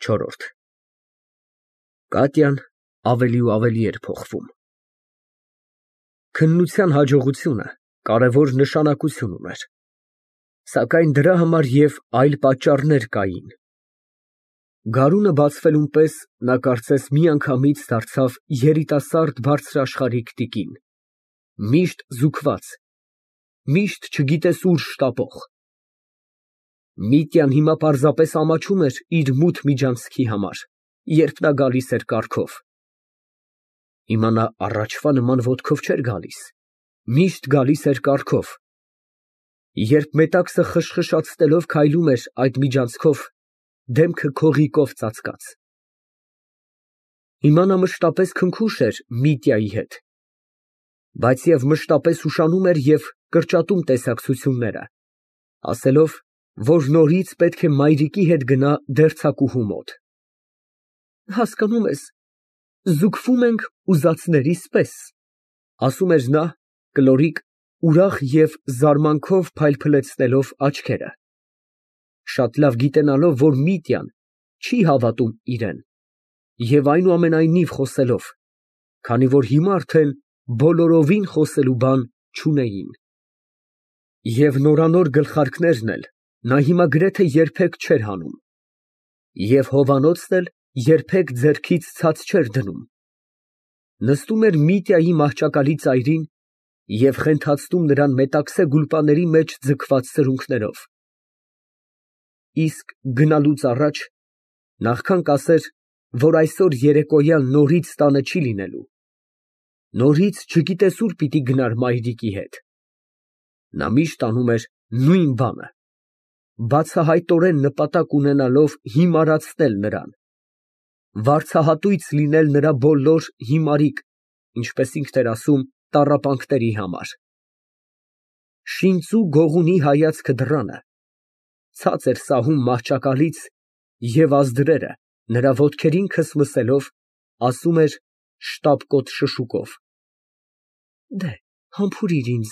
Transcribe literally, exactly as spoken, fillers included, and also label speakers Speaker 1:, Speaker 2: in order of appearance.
Speaker 1: Չորրորդ Կատյան ավելի ու ավելի էր փոխվում։ Քննության հաջողությունը կարևոր նշանակություն ուներ, սակայն դրա համար և այլ պատճառներ կային։ Գարունը բացվելուն պես նա կարծես միանգամից դարձավ երիտասարդ բարձրաշխարհիկ տիկին, միշտ զուգված, միշտ չգիտես ուր շտապող։ Միտյան հիմա պարզապես ամաչում էր իր մութ միջանցքի համար, երբ նա գալիս էր կառքով։ Հիմա նա առաջվա նման ոտքով չէր գալիս, միշտ գալիս էր կառքով։ Երբ մետաքսը խշխշացնելով քայլում էր այդ միջանցքով, դեմքը քողիկով ծածկած։ Հիմա նա մշտապես քնքուշ էր Միտյայի հետ, բայց և մշտապես ուշանում էր և կրճատում տեսակցությունները, ասելով, որ նորից պետք է մայրիկի հետ գնա դերձակուհու մոտ։ Հասկանում ես, զուգվում ենք ուզածներիս պես, ասում էր նա, կլորիկ, ուրախ և զարմանքով փայլփլեցնելով աչքերը, շատ լավ գիտենալով, որ Միտյան չի հավատում իրան, և այնուամենայնիվ խոսելով, քանի որ հիմա արդեն բոլորովին խոսելու բան չունեին։ Եվ նորանոր գլխարկներն էլ նա հիմա գրեթե երբեք չէր հանում, և հովանոցն էլ երբեք ձեռքից ցած չէր դնում, նստում էր Միտյայի մահճակալի ծայրին և խենթացնում նրան մետաքսե գուլպաների մեջ ձգված սրունքներով, իսկ գնալուց առաջ նախքան կասեր, որ այսօր երեկոյան նորից տանը չի լինելու, նորից չգիտես ուր պիտի գնար մայրիկի հետ, նա միշտ անում էր նույն բանը, բացահայտորեն նպատակ ունենալով հիմարացնել նրան, վարձահատույց լինել նրա բոլոր հիմարիկ, ինչպես ինքն էր ասում, տառապանքների համար։ Շինծու գողունի հայացքը դռանը, ցած էր սահում մահճակալից և ազդրերը նրա ոտքերին քսմսելով, ասում էր շտապկոտ շշուկով. «Դեհ, համբուրիր ինձ,